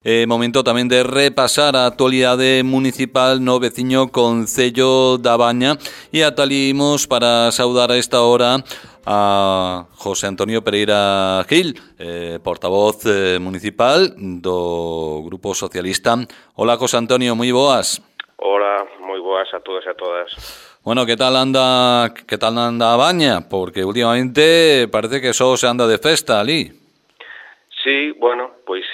Momento tamén de repasar a actualidade municipal no veciño concello da Baña e atalimos para saudar a esta hora a José Antonio Pereira Gil, portavoz municipal do Grupo Socialista. Hola, José Antonio, moi boas. Hola, moi boas a todos e a todas. Bueno, que tal anda a Baña? Porque últimamente parece que só se anda de festa ali. Sí, bueno, pois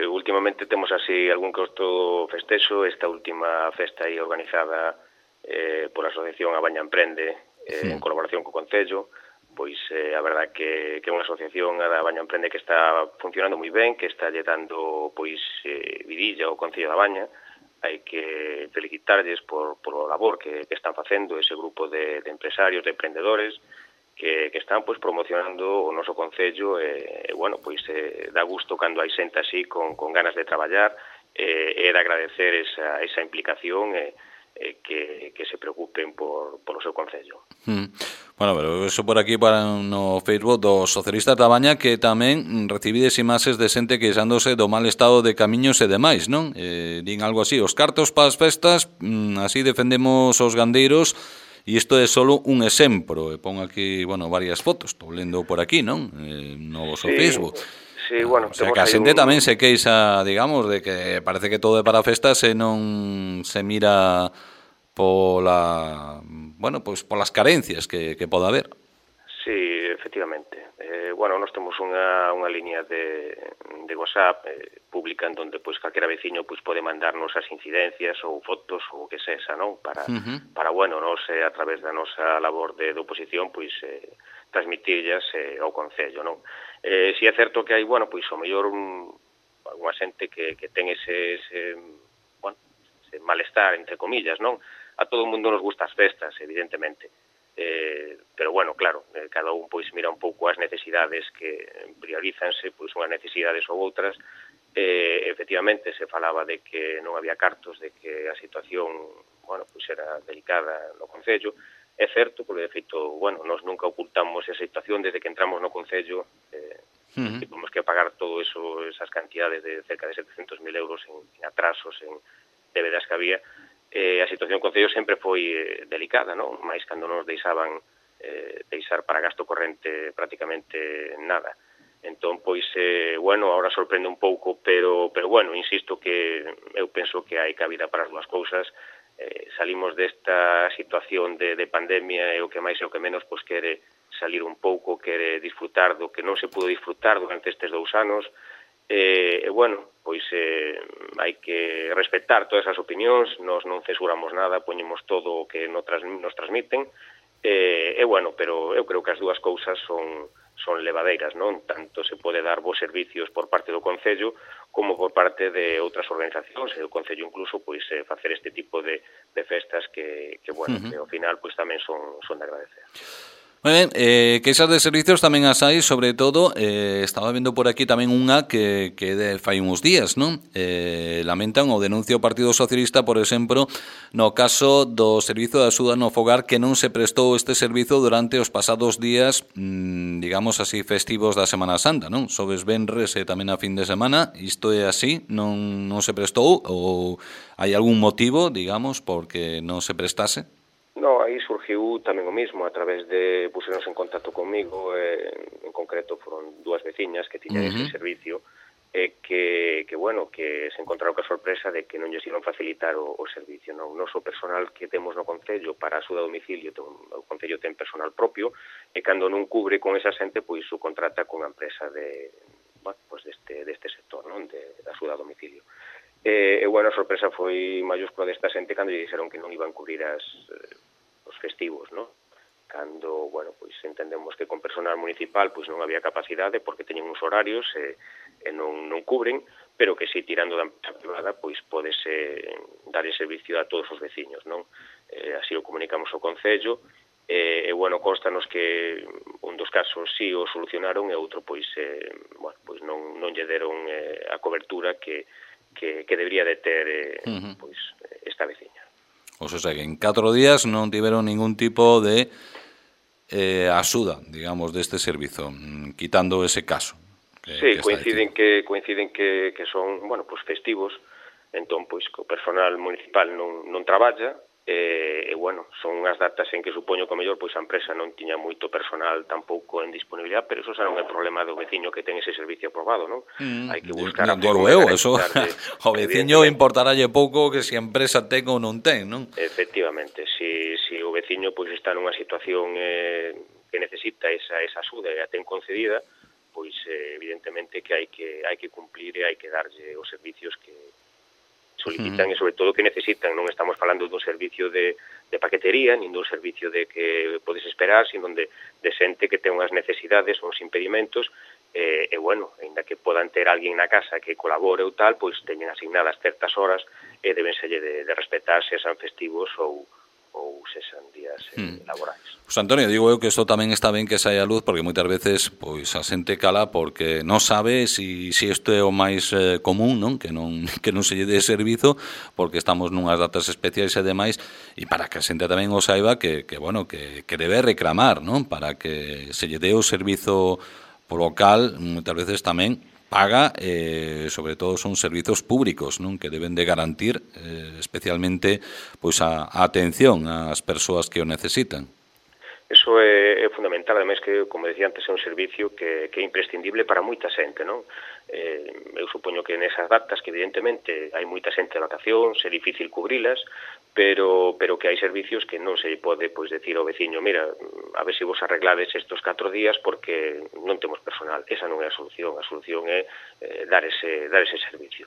últimamente temos así algún que outro festexo. Esta última festa aí organizada pola Asociación A Baña Emprende en colaboración co Concello, pois a verdad que é unha asociación, a da Baña Emprende, que está funcionando moi ben, que está lle dando pois vidilla ao Concello da Baña. Hai que felicitarlles por o labor que están facendo ese grupo de empresarios, de emprendedores, que están pois promocionando o noso concello e bueno, pois dá gusto cando hai xente así con ganas de traballar e de agradecer esa implicación que se preocupen por o seu concello. Bueno, pero eso por aquí para no Facebook dos socialistas da Baña, que tamén recibides imaxes de xente queixándose do mal estado de camiños e demais, non? Din algo así, os cartos para as festas, así defendemos os gandeiros. E isto é solo un exemplo. Pon aquí, bueno, varias fotos. Estou lendo por aquí, non? No vosso Facebook. Sí, bueno, o sea, que a xente tamén se queixa, digamos, de que parece que todo é para festas e non se mira pola, bueno, pois polas carencias que poda haber. Sí, efectivamente. Bueno, nós temos unha liña de WhatsApp pública en donde pois calquera veciño pois pode mandarnos as incidencias ou fotos ou o que sexa, non? Para bueno, nós a través da nosa labor de oposición pois transmitirlas ao concello, non? Si é certo que hai, bueno, pois o mellor unha xente que ten ese malestar, entre comillas, non? A todo o mundo nos gusta as festas, evidentemente. Pero bueno, claro, cada un pois mira un pouco as necesidades, que priorízanse pois unhas necesidades ou outras. Efectivamente se falaba de que non había cartos, de que a situación, bueno, pois era delicada no concello. É certo, porque de feito, bueno, nós nunca ocultamos esa situación desde que entramos no concello. Tivemos que pagar todo eso, esas cantidades de cerca de 700.000 euros en atrasos, en débedas que había. A situación do concello sempre foi delicada, non? Mais cando nos deixaban deixar para gasto corrente prácticamente nada. Entón, pois, bueno, ahora sorprende un pouco, pero bueno, insisto que eu penso que hai cabida para as dúas cousas. Salimos desta situación de pandemia e o que máis e o que menos pois quere salir un pouco, quere disfrutar do que non se pudo disfrutar durante estes 2 anos. E bueno, pois hai que respetar todas as opinións, nós non censuramos nada, poñemos todo o que nos transmiten, e bueno, pero eu creo que as dúas cousas son levadeiras, non? Tanto se pode dar bons servicios por parte do Concello como por parte de outras organizacións, e o Concello incluso pois facer este tipo de festas que bueno, que ao final pois tamén son de agradecer. Moi ben, queixas de servicios tamén as hai, sobre todo, estaba vendo por aquí tamén unha que fai uns días, non? Lamentan o denuncia o Partido Socialista, por exemplo, no caso do servizo de axuda no fogar, que non se prestou este servizo durante os pasados días, digamos así, festivos da Semana Santa, non? Xoves, venres e tamén a fin de semana. Isto é así? Non se prestou? Ou hai algún motivo, digamos, porque non se prestase? No, aí surgiu tamén o mismo, a través de puseronse en contacto comigo, en concreto foron 2 veciñas que tiñan ese servicio, que bueno, que se encontraron ca sorpresa de que non lles iban facilitar o servicio. No noso personal que temos no Concello para a axuda a domicilio, o Concello ten personal propio, e cando non cubre con esa xente, pois o contrata con a empresa deste sector, non? De axuda a domicilio. E bueno, a sorpresa foi mayúscula desta xente cando lle dixeron que non iban cubrir os festivos, non? Cando, bueno, pois entendemos que con personal municipal pois non había capacidade porque teñen uns horarios e non cubren, pero que si tirando da empresa privada pois podese dar ese servicio a todos os veciños, non? Así o comunicamos ao Concello e bueno, constanos que un dos casos sí o solucionaron e outro pois bueno, pois non lle deron a cobertura que debería de ter pois esta veciña. O sea, que en 4 días non tiveron ningún tipo de axuda, digamos, deste servizo, quitando ese caso. Sí, coinciden que son, bueno, pues festivos, entón, pois, que o personal municipal non traballa, bueno, son unhas datas en que supoño que o mellor pois a empresa non tiña moito personal tampouco en disponibilidade, pero eso xa non é problema do veciño que ten ese servicio aprobado, non? Hai que buscar a forma de eso, o veciño importaralle pouco que se a empresa ten ou non ten, non? Efectivamente, se o veciño pois está nunha situación que necesita esa axuda e a ten concedida, pois evidentemente que hai que cumplir e hai que darlle os servicios que solicitan e sobre todo que necesitan. Non estamos falando dun servicio de paquetería, nin dun servicio de que podes esperar, sino de xente que ten unhas necesidades, uns impedimentos, e bueno, ainda que podan ter alguén na casa que colabore ou tal, pois teñen asignadas certas horas e debenselle de respetar se sean festivos ou sexan días laborais. Pois Antonio, digo eu que isto tamén está ben que saia a luz porque moitas veces pois a xente cala porque non sabe se isto é o máis común, non? Que non se lle dé servizo porque estamos nunhas datas especiais e demais e para que a xente tamén o saiba que debe reclamar, non? Para que se lle dé o servizo polo cal moitas veces tamén paga, sobre todo son servizos públicos, non? Que deben de garantir especialmente pois a atención ás persoas que o necesitan. Eso é fundamental, ademais que, como decía antes, é un servicio que é imprescindible para moita xente, non? Eu supoño que nesas datas, que evidentemente hai moita xente de vacacións, é difícil cubrilas, pero que hai servicios que non se pode pois decir ao veciño, mira, a ver se vos arreglades estos 4 días porque non temos personal. Esa non é a solución é dar ese servicio.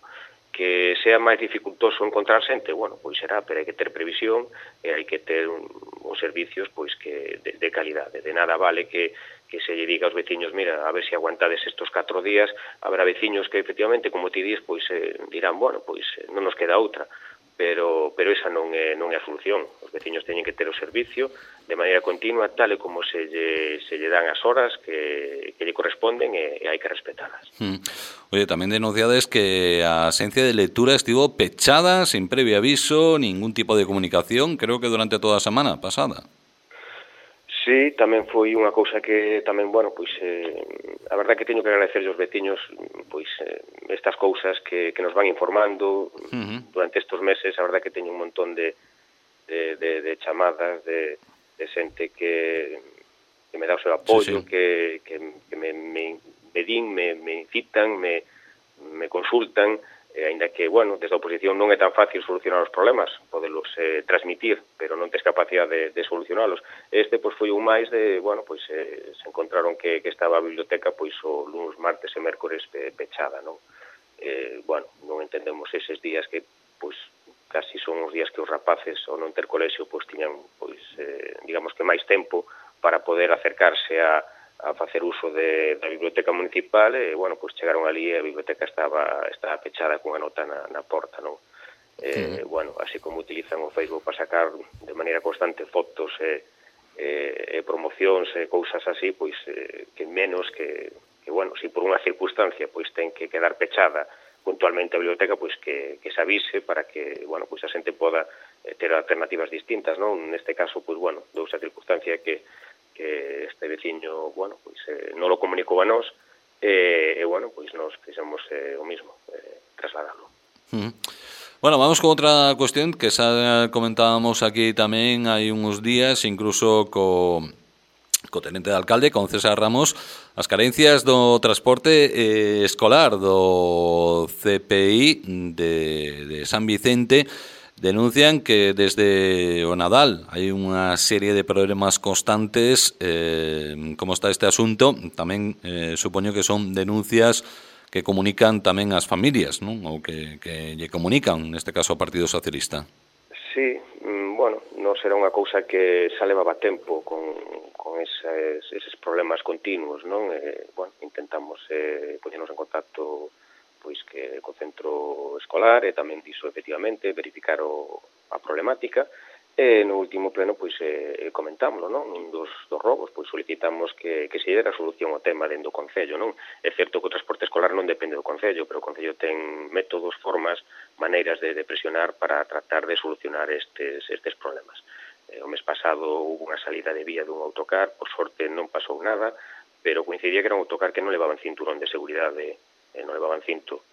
Que sea máis dificultoso encontrar xente, bueno, pois será, pero hai que ter previsión e hai que ter uns servicios pois que de calidade. De nada vale que se lle diga aos veciños, mira, a ver se aguantades estos 4 días, haberá veciños que efectivamente, como ti dis, pois dirán, bueno, pois non nos queda outra, pero esa non é a solución. Os veciños teñen que ter o servicio de maneira continua, tal e como se lle dan as horas que lle corresponden e hai que respetalas. Oye, tamén denunciades que a axencia de lectura estivo pechada, sin previo aviso, ningún tipo de comunicación, creo que durante toda a semana pasada. Sí, tamén foi unha cousa que tamén, bueno, pois a verdad que teño que agradecerlle aos veciños pois estas cousas que nos van informando durante estes meses. A verdad que teño un montón de chamadas de xente que me dá o seu apoio, que me din, me incitan, me consultan, aínda que, bueno, desde a oposición non é tan fácil solucionar os problemas, podelos transmitir, pero non tes capacidade de solucionalos. Este, pois, foi un máis de, bueno, pois, se encontraron que estaba a biblioteca, pois, o luns, martes e mércores pechada, non? Bueno, non entendemos eses días que, pois, casi son os días que os rapaces, ao non ter colexio, pois, tiñan, pois, digamos que máis tempo para poder acercarse a facer uso da biblioteca municipal e, bueno, pois chegaron ali e a biblioteca estaba pechada cunha nota na porta, non? Bueno, así como utilizan o Facebook para sacar de maneira constante fotos e promocións e cousas así, pois que menos que, bueno, se por unha circunstancia pois ten que quedar pechada puntualmente a biblioteca, pois que se avise para que, bueno, pois a xente poda ter alternativas distintas, non? Neste caso, pois, bueno, dou esa circunstancia que este veciño, bueno, pois non lo comunicou a nós e bueno, pois nos fixemos o mismo, trasladalo. Bueno, vamos con outra cuestión que xa comentábamos aquí tamén hai uns días, incluso co tenente de alcalde, con César Ramos, as carencias do transporte escolar do CPI de San Vicente. Denuncian que desde o Nadal hai unha serie de problemas constantes. Como está este asunto? Tamén supoño que son denuncias que comunican tamén as familias, non? Ou que lle comunican, neste caso, ao Partido Socialista. Sí, bueno, non será unha cousa que xa levaba tempo con eses problemas continuos, non? Bueno, intentamos poñernos en contacto pois que co centro escolar e tamén diso efectivamente verificar a problemática e no último pleno pois comentámoslo, non? Un dos robos pois solicitamos que se dera solución ao tema dentro do Concello, non? É certo que o transporte escolar non depende do Concello, pero o Concello ten métodos, formas, maneiras de presionar para tratar de solucionar estes problemas. O mes pasado houve unha salida de vía dun autocar, por sorte non pasou nada, pero coincidía que era un autocar que non levaban cinturón de seguridade, non levaban cinto.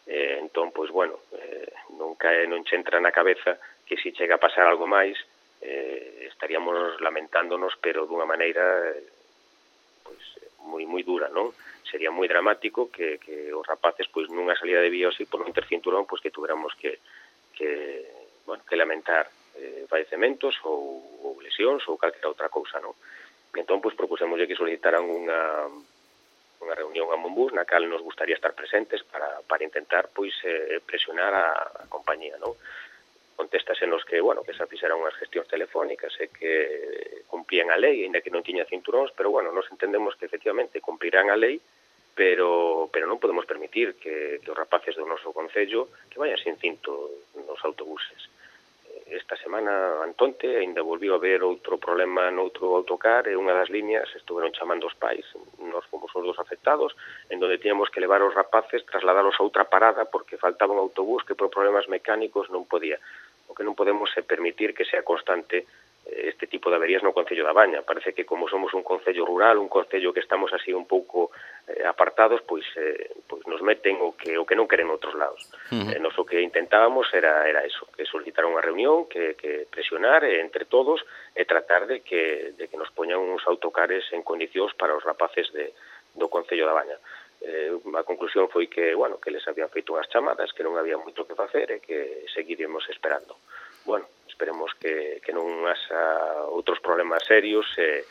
Entón, pois, bueno, non che entra na cabeza que se chega a pasar algo máis, estaríamos lamentándonos, pero dunha maneira pois moi dura, non? Sería moi dramático que os rapaces, pois, nunha salida de vía así, por non ter cinturón, pois que tuviéramos que lamentar falecementos ou lesións ou calquera outra cousa, non? Entón, pois, propusémoslle que solicitaran unha reunión a Monbús na cal nos gustaría estar presentes para intentar, pois, presionar a compañía, non? Contestasenos que, bueno, que se fixeran unhas gestións telefónicas e que cumplían a lei, ainda que non tiña cinturóns, pero, bueno, nos entendemos que, efectivamente, cumprirán a lei, pero non podemos permitir que os rapaces do noso concello que vayan sin cinto nos autobuses. Esta semana, antonte, ainda volviu a haber outro problema noutro autocar e unha das líneas estuveron chamando os pais, nós fomos os dos afectados, en donde tíamos que levar os rapaces, trasladalos a outra parada porque faltaba un autobús que por problemas mecánicos non podía. O que non podemos é permitir que sea constante este tipo de averías no Concello da Baña. Parece que como somos un concello rural, un concello que estamos así un pouco apartados, pois nos meten o que non queren outros lados. Nos o que intentábamos era eso, que solicitar unha reunión, que presionar entre todos e tratar de que nos poñan uns autocares en condicións para os rapaces do Concello da Baña. A conclusión foi que, bueno, que les habían feito unhas chamadas, que non había moito que facer e que seguiremos esperando. Bueno, esperemos que non haxa outros problemas serios e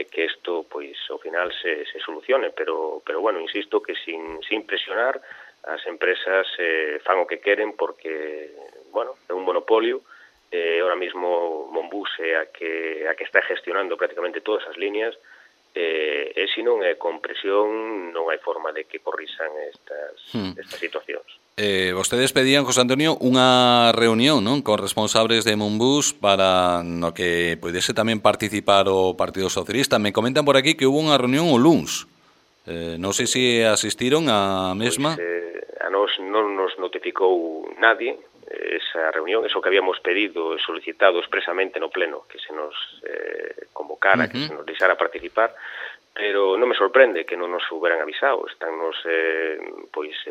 que isto, pois, ao final se solucione, pero bueno, insisto que sin presionar as empresas fan o que queren porque, bueno, é un monopolio. Ahora mismo Monbús é a que está gestionando prácticamente todas as líneas e se non é con presión non hai forma de que corrisan estas situacións. Vostedes pedían, José Antonio, unha reunión, non, con responsables de Monbús para no que pudese tamén participar o Partido Socialista. Me comentan por aquí que hubo unha reunión o luns. Non sei se asistiron á mesma. A nos non nos notificou nadie esa reunión, eso que habíamos pedido e solicitado expresamente no pleno, que se nos convocara, que se nos deixara participar, pero non me sorprende que non nos hubieran avisado. Estánnos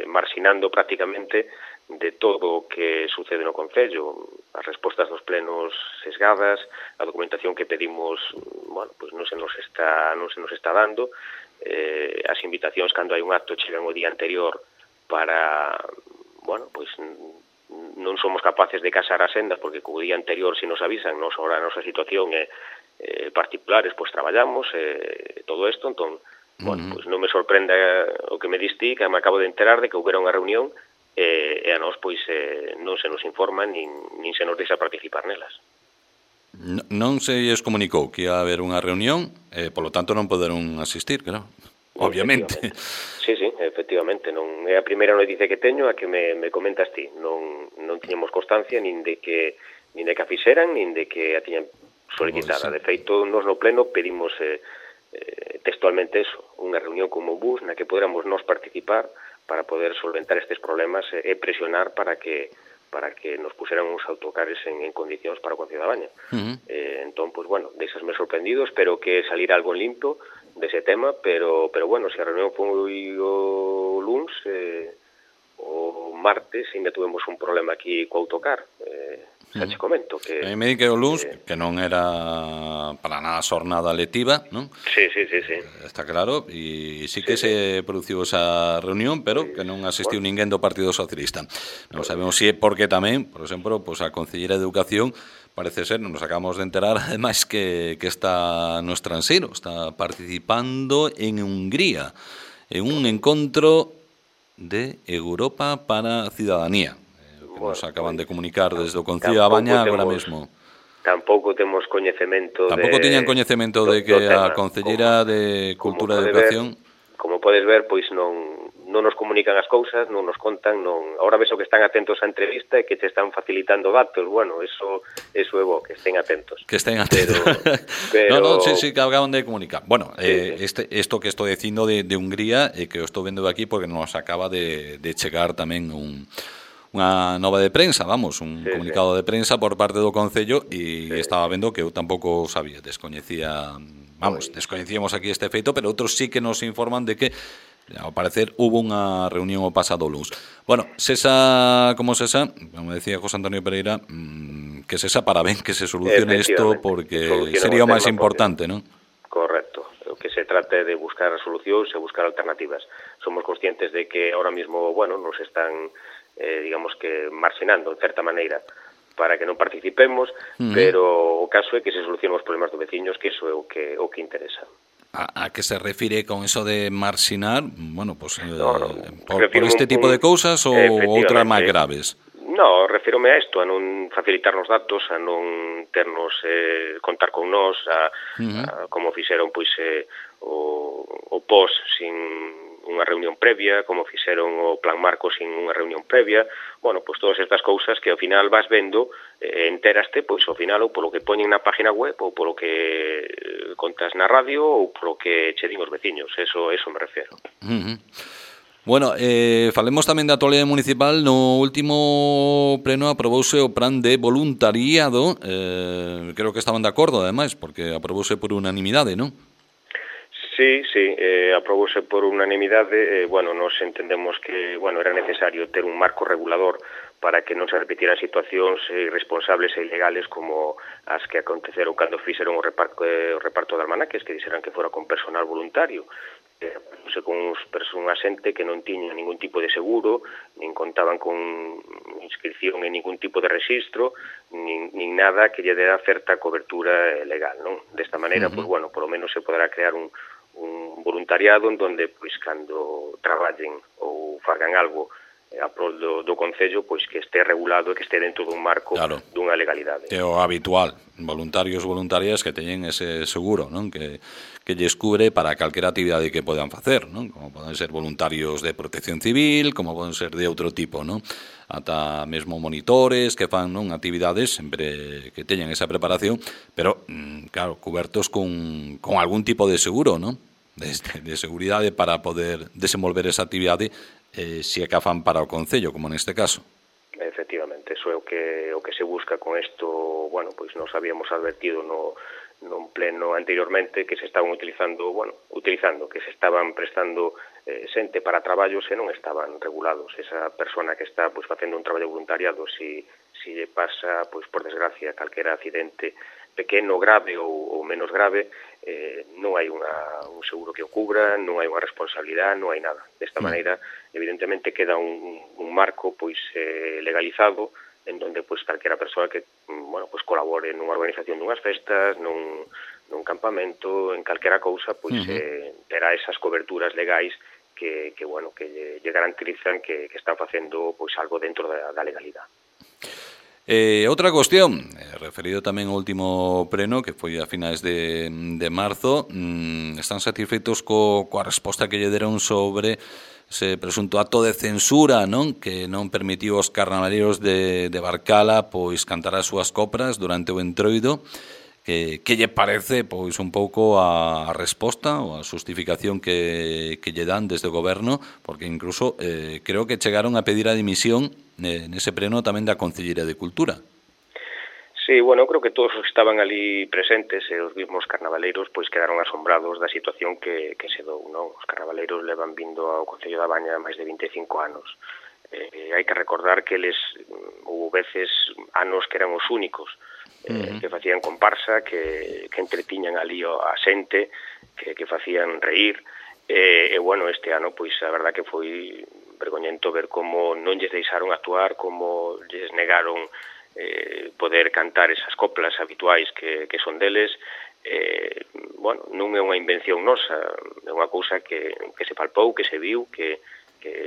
marxinando prácticamente de todo o que sucede no Concello. As respostas dos plenos sesgadas, a documentación que pedimos, bueno, pois non se nos está dando, as invitacións cando hai un acto chegan o día anterior para, bueno, pois non somos capaces de casar as sendas porque co día anterior se nos avisan, ahora a nosa situación é particulares, pois traballamos todo isto, entón, bueno, pois non me sorprenda o que me diste, que me acabo de enterar de que houbera unha reunión e a nós, pois, non se nos informa nin se nos deixa participar nelas. Non se lles comunicou que ia haber unha reunión, polo tanto non poderon asistir, claro, obviamente. Sí, efectivamente, non é a primeira noticia que teño, a que me comentas ti. Non tiñamos constancia nin de que a fixeran, nin de que a tiñan solicitada. De feito, nos no pleno pedimos textualmente eso, unha reunión con Monbús na que podéramos nós participar para poder solventar estes problemas e presionar para que nos puseran uns autocares en condicións para o Concello da Baña. Entón, pois, bueno, deixasme sorprendido, espero que salir algo limpo dese tema, pero bueno, se a reunión foi o luns, o martes ainda tuvemos un problema aquí co autocar. Xa che comento que... Me di que o luns, que non era para nada xornada lectiva, non? Sí. Está claro, e sí que se produciu esa reunión, pero que non asistiu ninguén do Partido Socialista. Non sabemos se é porque tamén, por exemplo, pues a Concelleira de Educación parece ser, nos acabamos de enterar, ademais que está no estranxeiro, está participando en Hungría, en un encontro de Europa para a Ciudadanía. Nos acaban de comunicar desde o Concello da Baña agora mesmo. Tampouco temos coñecemento tiñan coñecemento de que a Concelleira de Cultura e Educación... Como podes ver, pois non nos comunican as cousas, non nos contan, ahora ves que están atentos á entrevista e que te están facilitando datos. Bueno, eso é bo, que estén atentos. Que estén atentos. Pero... No, sí, que acaban de comunicar. Bueno, esto que estou dicindo de Hungría, que o estou vendo aquí porque nos acaba de chegar tamén un nova de prensa, vamos, un Sí, comunicado de prensa por parte do Concello e sí. estaba vendo que eu tampouco sabía, descoñecíamos aquí este feito, pero outros sí que nos informan de que ao parecer hubo unha reunión o pasado luns. Bueno, sesa como sesa, como decía José Antonio Pereira, que sesa para ben que se solucione isto porque sería o máis importante, non? Correcto. O que se trata é de buscar solucións e buscar alternativas. Somos conscientes de que ahora mismo, bueno, nos están, digamos que, marxinando, en certa maneira, para que non participemos, pero o caso é que se solucionen os problemas dos veciños, que iso é o que interesa. A que se refire con eso de marxinar? Bueno, pues por un este tipo de cousas ou outras máis graves? No, refírome a isto, a non facilitarnos datos, a non ternos contar con nós, a como fixeron pois o POS sin unha reunión previa, como fixeron o Plan Marco sin unha reunión previa. Bueno, pois todas estas cousas que ao final vas vendo, enteraste, pois ao final ou polo que poñen na página web ou polo que contas na radio ou polo que che din os veciños, eso me refiero. Bueno, falemos tamén da actualidade municipal. No último pleno aprobouse o plan de voluntariado, creo que estaban de acordo ademais, porque aprobouse por unanimidade, non? Sí, aprobouse por unanimidade. Bueno, nos entendemos que, bueno, era necesario ter un marco regulador para que non se repetiran situacións irresponsables e ilegales como as que aconteceron cando fixeron o reparto de almanaques, que dixeran que fora con personal voluntario, con unha xente que non tiña ningún tipo de seguro, nin contaban con inscripción en ningún tipo de registro, nin nada que lle dera certa cobertura legal, non? Desta maneira, pois, bueno, polo menos se poderá crear un voluntariado en donde, pois, cando traballen ou fagan algo a prol do Concello, pois que este regulado e que este dentro dun marco dunha legalidade. É o habitual, voluntarios voluntarias que teñen ese seguro, non? Que lles cubre para calquera actividade que podan facer, non? Como poden ser voluntarios de protección civil, como poden ser de outro tipo, non? Ata mesmo monitores que fan, non, actividades sempre que teñan esa preparación, pero claro, cubertos con algún tipo de seguro, non? De seguridade para poder desenvolver esa actividade se é que a fan para o Concello, como neste caso. Efectivamente, eso é o que se busca con isto. Bueno, pois nos habíamos advertido non pleno anteriormente que se estaban utilizando, que se estaban prestando xente para traballos e non estaban regulados. Esa persona que está pois facendo un traballo voluntariado, si lle pasa, pois por desgracia, calquera accidente pequeno, grave ou menos grave, non hai un seguro que o cubra, non hai unha responsabilidade, non hai nada. Desta maneira, evidentemente, queda un marco pois legalizado en donde pois calquera persoa que pois colabore nunha organización dunhas festas, nun campamento, en calquera cousa, pois terá esas coberturas legais que lle garantizan que están facendo pois algo dentro da legalidade. Outra cuestión, referido tamén ao último pleno, que foi a finais de marzo, están satisfeitos coa resposta que lle deron sobre ese presunto acto de censura, non? Que non permitiu aos carnavaleiros de Barcala pois cantar as súas copras durante o entroido. Que lle parece pois un pouco a resposta ou a justificación que lle dan desde o goberno, porque incluso creo que chegaron a pedir a dimisión nese pleno tamén da Concellería de Cultura. Sí, bueno, creo que todos os que estaban ali presentes e os mismos carnavaleiros pois quedaron asombrados da situación que se dou, non? Os carnavaleiros levan vindo ao Concello da Baña máis de 25 anos. Hai que recordar que eles houve veces anos que eran os únicos que facían comparsa, que entretiñan ali a xente, que facían reír, e bueno, este ano, pois, a verdad que foi vergoñento ver como non lles deixaron actuar, como lles negaron poder cantar esas coplas habituais que son deles. Bueno, non é unha invención nosa, é unha cousa que se palpou, que se viu, que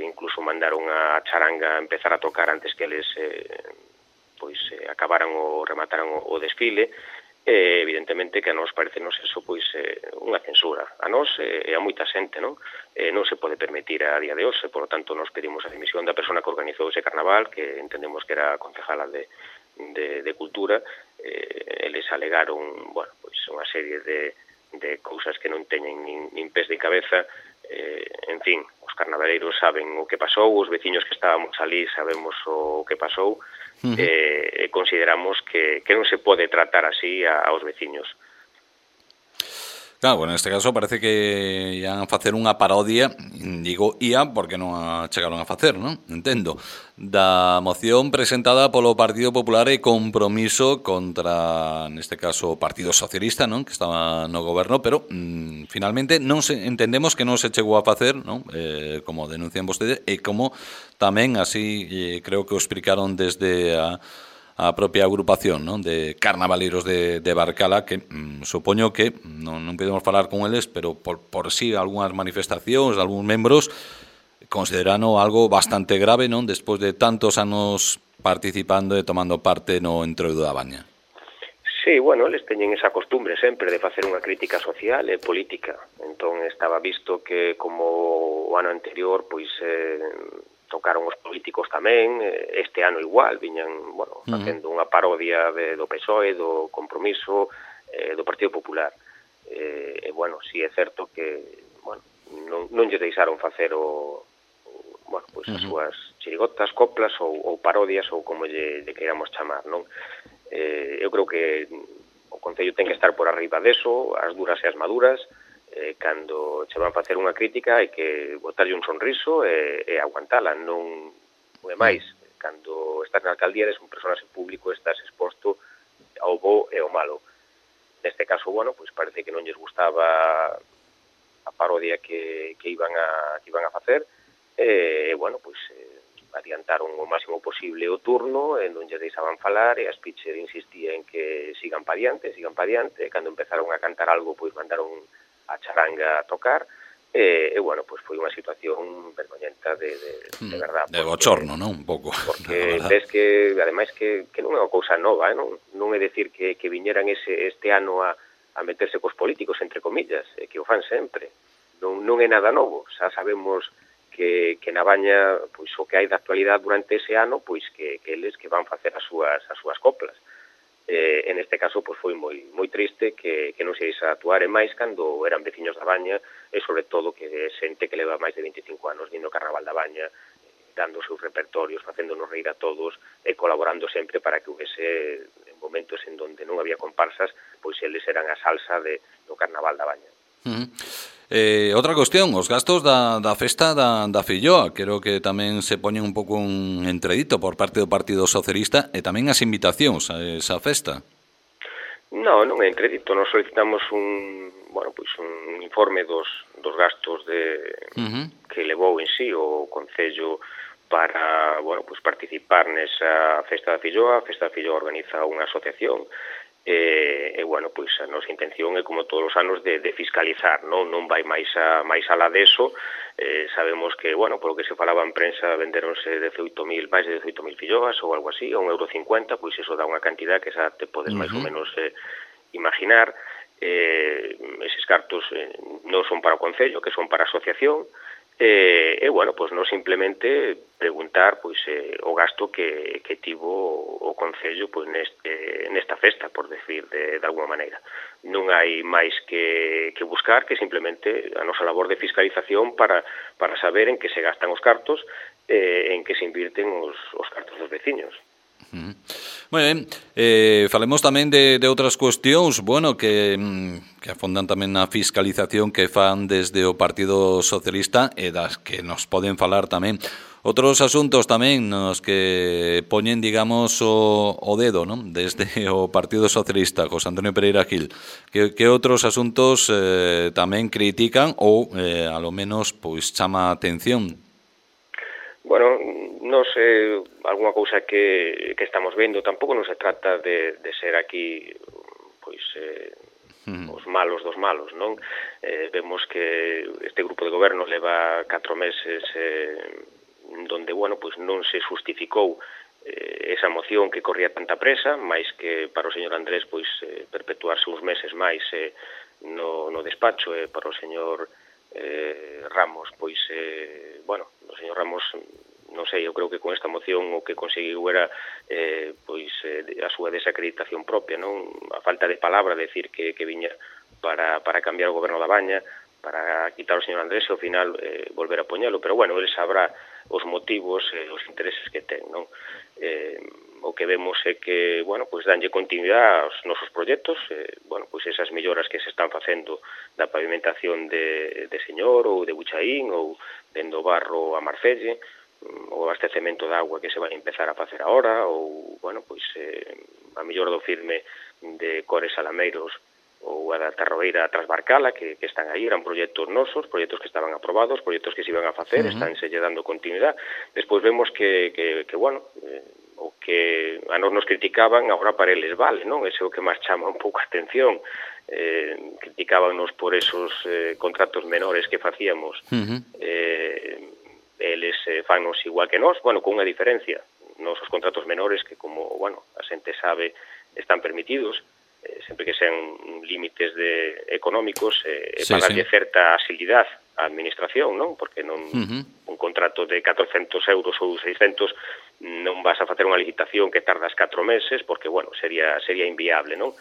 incluso mandaron a charanga a empezar a tocar antes que eles acabaran ou remataran o desfile. Evidentemente que a nós parecenos eso pois unha censura. A nós e a moita xente, non? Non se pode permitir a día de hoxe, por lo tanto nos pedimos a dimisión da persona que organizou ese carnaval, que entendemos que era a concejala de Cultura. Eles alegaron, bueno, pois unha serie de cousas que non teñen nin pés de cabeza, En fin, os carnavaleiros saben o que pasou, os veciños que estábamos ali sabemos o que pasou, e consideramos que non se pode tratar así aos veciños. Claro, bueno, neste caso parece que ian a facer unha parodia, digo ia porque non a chegaron a facer, non? Entendo, da moción presentada polo Partido Popular e Compromiso contra, neste caso, o Partido Socialista, non? Que estaba no goberno, pero finalmente non se entendemos que non se chegou a facer, non? Como denuncian vostedes, e como tamén así creo que o explicaron desde a propia agrupación, non, de carnavaleiros de Barcala, que supoño que non podemos falar con eles, pero por si algunhas manifestacións de algúns membros considerano algo bastante grave, non, despois de tantos anos participando e tomando parte no Entroido da Baña. Sí, bueno, eles teñen esa costumbre sempre de facer unha crítica social e política. Entón estaba visto que como o ano anterior, pois tocaron os políticos tamén, este ano igual, viñan, bueno, facendo unha parodia do PSOE, do Compromiso, do Partido Popular. E, bueno, si é certo que, bueno, non lle deixaron facer bueno, pois as súas chirigotas, coplas ou parodias, ou como lle queiramos chamar, non? Eu creo que o Concello ten que estar por arriba deso, as duras e as maduras, cando che van facer unha crítica hai que botarlle un sonriso e aguantala, non é máis. Cando estás na alcaldía eres un personaxe público, estás exposto ao bo e ao malo. Neste caso, bueno, pois parece que non lles gustaba a parodia que iban a facer, e bueno, pois adiantaron o máximo posible o turno, e non lles deixaban falar, e a Spitzer insistía en que sigan pa diante, e cando empezaron a cantar algo, pois mandaron a charanga a tocar, e bueno, pois foi unha situación vergoñenta de verdad. De bochorno, non? Un pouco. Porque ves que, ademais, que non é unha cousa nova, non é decir que viñeran este ano a meterse cos políticos, entre comillas, que o fan sempre. Non é nada novo, xa sabemos que na Baña, pois o que hai de actualidade durante ese ano, pois que eles que van facer as súas coplas. En este caso, pois foi moi triste que non se iso actuar, e máis cando eran veciños da Baña, e sobre todo que xente que leva máis de 25 anos vindo ao Carnaval da Baña, dando os seus repertorios, facéndonos reír a todos e colaborando sempre para que houvese momentos en donde non había comparsas, pois eles eran a salsa do Carnaval da Baña. Outra cuestión, os gastos da festa da Filloa, creo que tamén se poñen un pouco un entredito por parte do Partido Socialista, e tamén as invitacións a esa festa. Non é entredito, nos solicitamos un informe dos gastos que levou en sí o Concello para, participar nesa festa da Filloa. A festa da Filloa organiza unha asociación, e a nosa intención é, como todos os anos, de fiscalizar, non vai máis alá deso. Sabemos que, polo que se falaba en prensa, venderonse máis de 18.000 filloas ou algo así, a €1,50, pois iso dá unha cantidad que xa te podes máis ou menos imaginar. Eses cartos non son para o Concello, que son para a asociación, non simplemente preguntar o gasto que tivo o Concello nesta festa, por decir de alguma maneira. Non hai máis que buscar que simplemente a nosa labor de fiscalización para saber en que se gastan os cartos, en que se invirten os cartos dos veciños. Moi ben, falemos tamén de outras cuestións, que afondan tamén na fiscalización que fan desde o Partido Socialista, e das que nos poden falar tamén outros asuntos tamén nos que poñen, digamos, o dedo, non? Desde o Partido Socialista, José Antonio Pereira Gil. Que outros asuntos tamén critican ou, a lo menos, chama a atención? Non sei, algunha cousa que estamos vendo, tampouco non se trata de ser aquí os malos dos malos, non? Vemos que este grupo de goberno leva 4 meses donde, non se justificou esa moción que corría tanta presa, máis que para o señor Andrés perpetuarse uns meses máis no despacho, e para o señor Ramos, o señor Ramos, non sei, eu creo que con esta moción o que conseguiu era a súa desacreditación propia, non? A falta de palabra, decir que viña para cambiar o goberno da Baña, para quitar o señor Andrés e ao final volver a poñelo, pero bueno, ele sabrá os motivos e os intereses que ten, non? O que vemos é que, bueno, pois danlle continuidade aos nosos proxectos, bueno, pois esas melloras que se están facendo da pavimentación de Señor ou de Buchaín ou dendo Barro a Marcelle, o abastecemento de agua que se vai empezar a facer agora, ou, bueno, pois a mellor do firme de Cores Alameiros ou a da Tarroeira Trasbarcala, que están aí, eran proxectos nosos, proxectos que estaban aprobados, proxectos que se iban a facer, estánse lle dando continuidade. Despois vemos que bueno, o que a nos criticaban, agora para eles vale, non? Ese é o que máis chama un pouco a atención. Criticábanos por esos contratos menores que facíamos. Eles fannos igual que nós, bueno, con unha diferencia. Nosos contratos menores que, como, bueno, a xente sabe, están permitidos, sempre que sean límites económicos, pagarlle certa asilidade á administración, non? Porque non un contrato de 400 euros ou 600 non vas a facer unha licitación que tardas 4 meses, porque, bueno, sería inviable, non?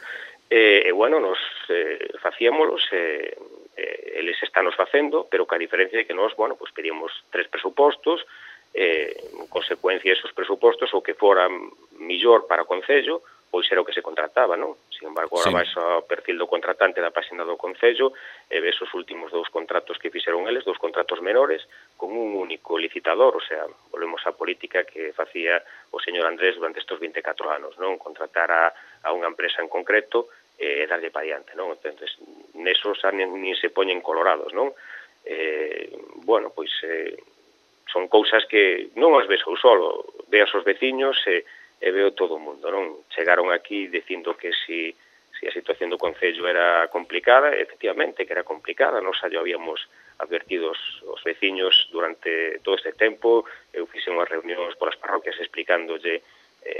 Bueno, nos facíamolos, eles estános facendo, pero que a diferencia de que nós, bueno, pues pedíamos 3 presupostos, en consecuencia esos presupostos o que foran millor para o Concello, pois era o que se contrataba, non? Sin embargo, agora vais ao perfil do contratante da página do Concello e ves os últimos 2 contratos que fixeron eles, 2 contratos menores, con un único licitador, o sea, volvemos á política que facía o señor Andrés durante estes 24 anos, non? Contratar a unha empresa en concreto e darlle para diante, non? Entonces, nesos nin se poñen colorados, non? Bueno, pois son cousas que non as ves eu solo, veas os veciños e veo todo o mundo, non? Chegaron aquí dicindo que si a situación do Concello era complicada, efectivamente que era complicada, nos xa habíamos advertido os veciños durante todo este tempo, eu fixe unhas reunións polas parroquias explicándolle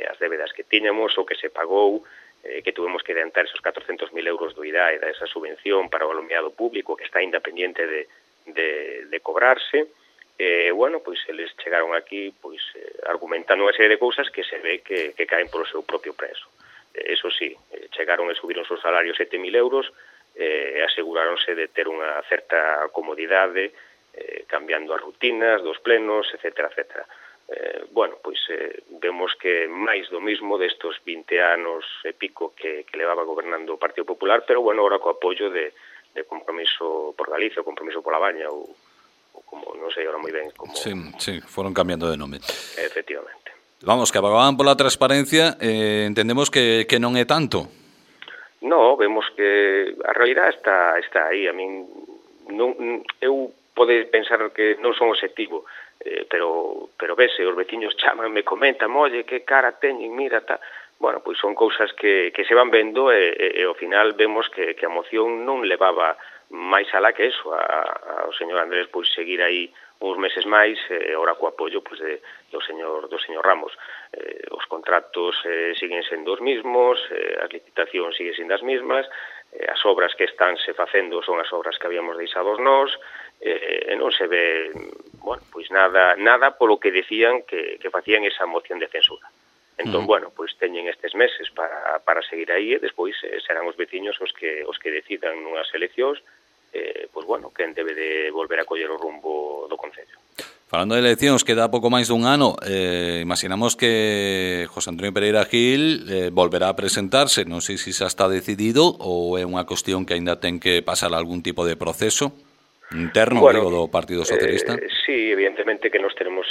as débedas que tiñamos, o que se pagou, que tuvemos que adiantar esos 400.000 euros do IDAE, esa subvención para o alumiado público que está independiente de cobrarse. Bueno, pois eles chegaron aquí pois argumentando unha serie de cousas que se ve que caen polo seu propio preso. Eso sí, chegaron e subiron os salarios 7.000 euros e aseguráronse de ter unha certa comodidade cambiando as rutinas dos plenos, etcétera, etcétera. Bueno, pois vemos que máis do mismo destos 20 anos e pico que levaba gobernando o Partido Popular, pero bueno, ahora co apoio de Compromiso por Galicia, o Compromiso pola Baña, ou como, non sei ahora moi ben como... Sí, foron cambiando de nome. Efectivamente. Vamos, que abogaban pola transparencia, entendemos que non é tanto. No, vemos que a realidade está aí. A min, eu pode pensar que non son obxectivo, pero vese, os veciños chaman, me comentan, oye, que cara teñen, mira, tal... Bueno, pois son cousas que se van vendo e ao final vemos que a moción non levaba máis alá que eso, ao señor Andrés pois seguir aí uns meses máis, ora co apoio pois do señor Ramos. Os contratos siguen sendo os mismos, as licitacións siguen sendo as mismas, as obras que están se facendo son as obras que habíamos deixados nós, e non se ve, bueno, pois nada polo que decían que facían esa moción de censura. Entón, bueno, pois teñen estes meses para seguir aí e despois serán os veciños os que decidan nunhas eleccións, pois bueno, quen debe de volver a coller o rumbo do Concello. Falando de eleccións, queda pouco máis dun ano, imaginamos que José Antonio Pereira Gil volverá a presentarse, non sei se xa está decidido ou é unha cuestión que aínda ten que pasar algún tipo de proceso interno, bueno, do Partido Socialista. Sí, evidentemente que nos tenemos,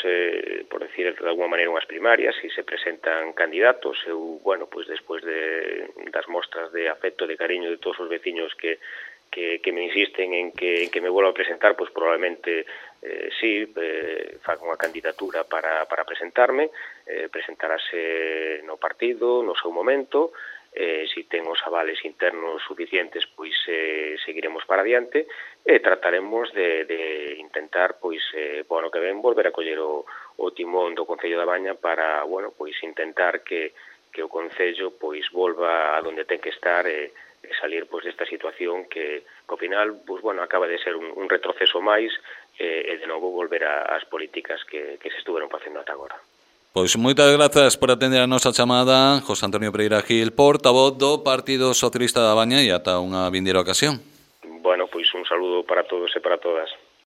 por decir de alguma maneira, unhas primarias e se presentan candidatos. Eu, bueno, pues despois das mostras de afecto, de cariño de todos os veciños que me insisten en que me vuelva a presentar, pues probablemente sí, faga unha candidatura para presentarme, presentarase no partido, no seu momento, si ten os avales internos suficientes, pois seguiremos para adiante e trataremos de intentar, pois, bueno, que ven volver a coller o timón do Concello da Baña para, bueno, pois intentar que o Concello pois volva a donde ten que estar e salir pois desta situación que ao final, pois, bueno, acaba de ser un retroceso máis e de novo volver ás políticas que se estuveron facendo ata agora. Pois moitas grazas por atender a nosa chamada, José Antonio Pereira Gil, portavoz do Partido Socialista da Baña, e ata unha vindeira ocasión. Bueno, pois un saludo para todos e para todas.